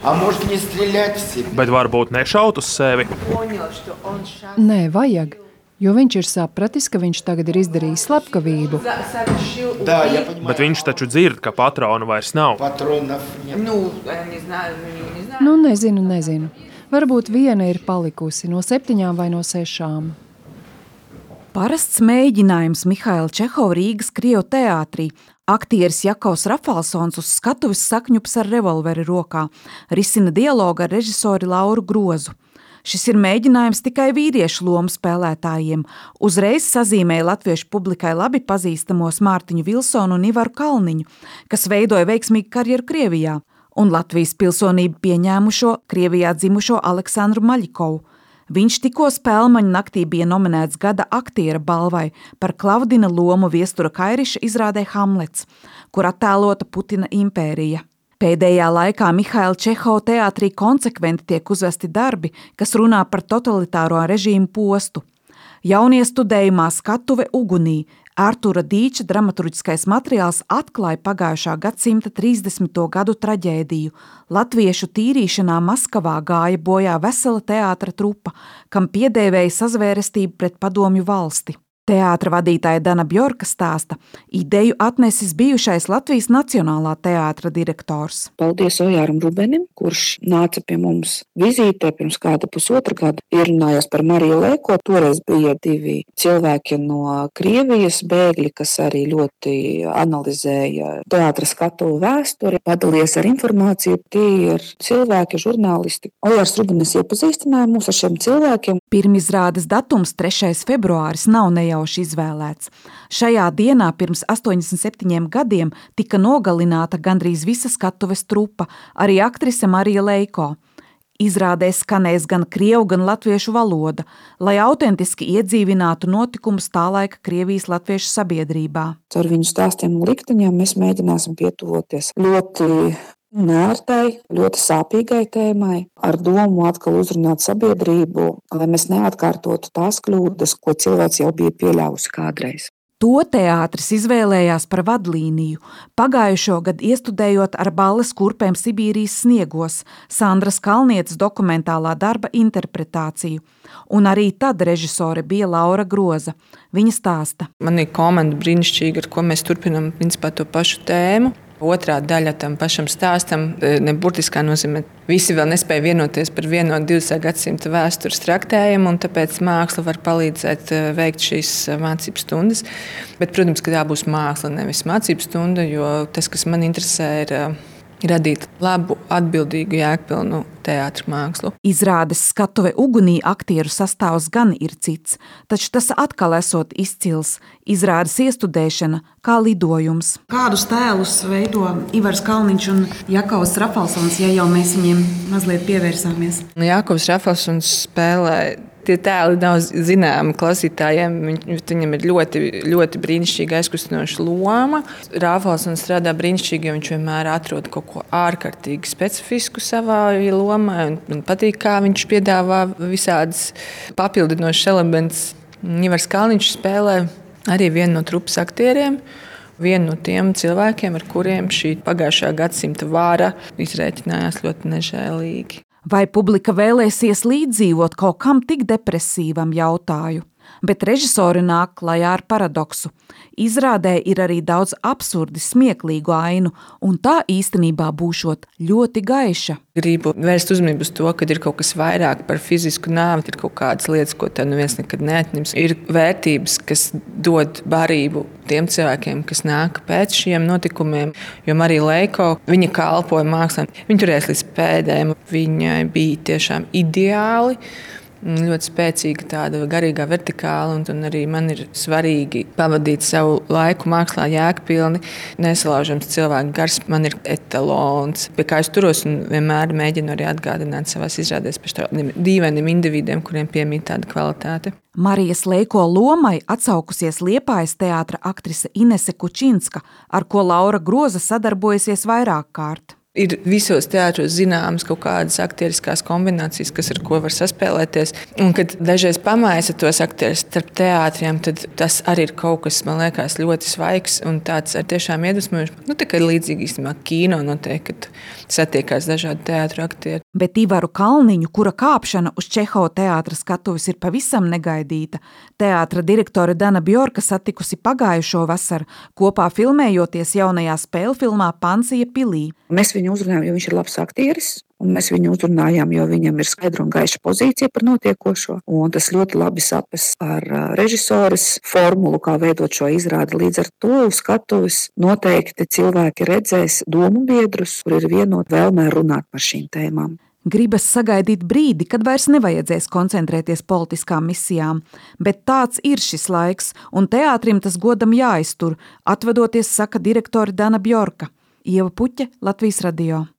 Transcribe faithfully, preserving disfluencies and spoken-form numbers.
А может не стрелять в себя? Bet varbūt nešaut uz sevi. Nē, vajag, jo viņš ir sapratis, ka viņš tagad ir izdarījis slepkavību. Да, я понимаю. Bet viņš taču dzird, ka patronu vairs nav. Патронов нет. Nu, nezinu, nezinu. Varbūt viena ir palikusi no septiņām vai no sešām. Parasts mēģinājums Mihaila Čehova Rīgas Krievu teātrī. Aktieris Jakovs Rafalsons uz skatuves sakņups ar revolveri rokā, risina dialogu ar režisori Lauru Grozu. Šis ir mēģinājums tikai vīriešu lomu spēlētājiem. Uzreiz sazīmēja latviešu publikai labi pazīstamos Mārtiņu Vilsonu un Ivaru Kalniņu, kas veidoja veiksmīgu karjeru Krievijā, un Latvijas pilsonību pieņēmušo Krievijā dzimušo Aleksandru Maļikovu. Viņš tikko Spēlmaņu naktī bija nominēts gada aktiera balvai par Klavdina lomu Viestura Kairiša izrādē Hamlets, kur attēlota Putina impērija. Pēdējā laikā Mihaila Čehova teātrī konsekventi tiek uzvesti darbi, kas runā par totalitāro režīmu postu. Jauniestudējumā Skatuve ugunī Artura Dīča dramaturģiskais materiāls atklāja pagājušā gadsimta trīsdesmito gadu traģēdiju. Latviešu tīrīšanā Maskavā gāja bojā vesela teātra trupa, kam piedēvēja sazvērestību pret padomju valsti. Teātra vadītāja Dana Bjorka stāsta, ideju atnesis bijušais Latvijas Nacionālā teātra direktors. Paldies Ojāram Rubenim, kurš nāca pie mums vizītē pirms kāda pusotra gada. Ierunājās par Mariju Lēko. Toreiz bija divi cilvēki no Krievijas bēgļi, kas arī ļoti analizēja teātra skatuvu vēsturi, padalījās ar informāciju. Tie ir cilvēki, žurnālisti. Ojārs Rubenis iepazīstināja mūs ar šiem cilvēkiem. Pirmizrādes datums trešais februāris nav nejauši izvēlēts. Šajā dienā pirms astoņdesmit septiņiem gadiem tika nogalināta gandrīz visa skatuves trupa, arī aktrise Marija Leiko. Izrādē skanēs gan krievu, gan latviešu valoda, lai autentiski iedzīvinātu notikumus tālaika Krievijas latviešu sabiedrībā. Ar viņu stāstiem un likteņiem mēs mēģināsim pietuvoties ļoti nērtai, ļoti sāpīgai tēmai, ar domu atkal uzrunāt sabiedrību, lai mēs neatkārtotu tās kļūdas, ko cilvēks jau bija pieļāvusi kādreiz. To teātris izvēlējās par vadlīniju, pagājušo gadu iestudējot ar balles kurpēm Sibīrijas sniegos, Sandras Kalnietes dokumentālā darba interpretāciju. Un arī tad režisore bija Laura Groza. Viņa stāsta. Man ir komanda brīnišķīga, ar ko mēs turpinām principā to pašu tēmu. Otrā daļa tam pašam stāstam, ne burtiskā nozīmē, visi vēl nespēja vienoties par vienu no divdesmitā gadsimta vēstures traktējumu, un tāpēc māksla var palīdzēt veikt šīs mācību stundas. Bet, protams, ka tā būs māksla, nevis mācību stunda, jo tas, kas man interesē, ir radīt labu, atbildīgu, jēgpilnu teātra mākslu. Izrādes Skatuve ugunī aktieru sastāvs gan ir cits, taču tas atkal esot izcils. Izrādes iestudēšana kā lidojums. Kādus tēlus veido Ivars Kalniņš un Jakovs Rafalsons, ja jau mēs viņiem mazliet pievērsāmies? Jakovs Rafalsons spēlē. Tie tēli nav zināmi klausītājiem. Viņam ir ļoti, ļoti brīnišķīga aizkustinoša loma. Rafalsons strādā brīnišķīgi, jo viņš vienmēr atrod kaut ko ārkārtīgi specifisku savā lomā. Man patīk, kā viņš piedāvā visādas papildinošas elements. Ivars Kalniņš spēlē arī vienu no trupas aktieriem. Vienu no tiem cilvēkiem, ar kuriem šī pagājušā gadsimta vāra izrēķinājās ļoti nežēlīgi. Vai publika vēlēsies līdzdzīvot kaut kam tik depresīvam, jautāju. Bet režisori nāk klajā ar paradoksu. Izrādē ir arī daudz absurdi smieklīgu ainu, un tā īstenībā būšot ļoti gaiša. Gribu vērst uzmanību uz to, ka ir kaut kas vairāk par fizisku nāvi, ir kaut kādas lietas, ko tev neviens nekad neatņems. Ir vērtības, kas dod barību tiem cilvēkiem, kas nāk pēc šiem notikumiem. Jo Marija Leiko, viņa kalpoja mākslā, viņa turēs līdz pēdējiem, viņai bija tiešām ideāli. Ļoti spēcīga tāda garīgā vertikāla, un, un arī man ir svarīgi pavadīt savu laiku mākslā jēgpilni. Nesalaužams cilvēku gars man ir etalons, pie kā es turos un vienmēr mēģinu arī atgādināt savās izrādēs par tādiem dīvainiem individiem, kuriem piemīt tāda kvalitāte. Marijas Leiko lomai atsaukusies Liepājas teātra aktrise Inese Kučinska, ar ko Laura Groza sadarbojasies vairāk kārt. Ir visos teātros zināmas kaut kādas aktieriskās kombinācijas, kas ar ko var saspēlēties. Un, kad dažreiz pamaisa tos aktierus starp teātriem, tad tas arī ir kaut kas, man liekas, ļoti svaigs un tāds ar tiešām iedvesmojošs. Nu, tā kā līdzīgi īstenībā kino notiek, kad satiekās dažādi teātru aktieri. Bet Ivaru Kalniņu, kura kāpšana uz Čehova teātra skatuves ir pavisam negaidīta, teātra direktore Dana Bjorka satikusi pagājušo vasaru, kopā filmējoties jaunajā spēļu filmā Pansija pilī. Mēs viņu uzrunājām, jo viņš ir labs aktieris, un mēs viņu uzrunājām, jo viņam ir skaidra un gaiša pozīcija par notiekošo. Un tas ļoti labi sapes ar režisoras formulu, kā veidot šo izrādi. Līdz ar to uz skatuves noteikti cilvēki redzēs domu biedrus, kur ir vienot vēlmē runāt par šīm tēmām. Gribas sagaidīt brīdi, kad vairs nevajadzēs koncentrēties politiskām misijām, bet tāds ir šis laiks, un teātrim tas godam jāiztur, atvadoties, saka direktore Dana Bjorka. Ieva Puķe, Latvijas radio.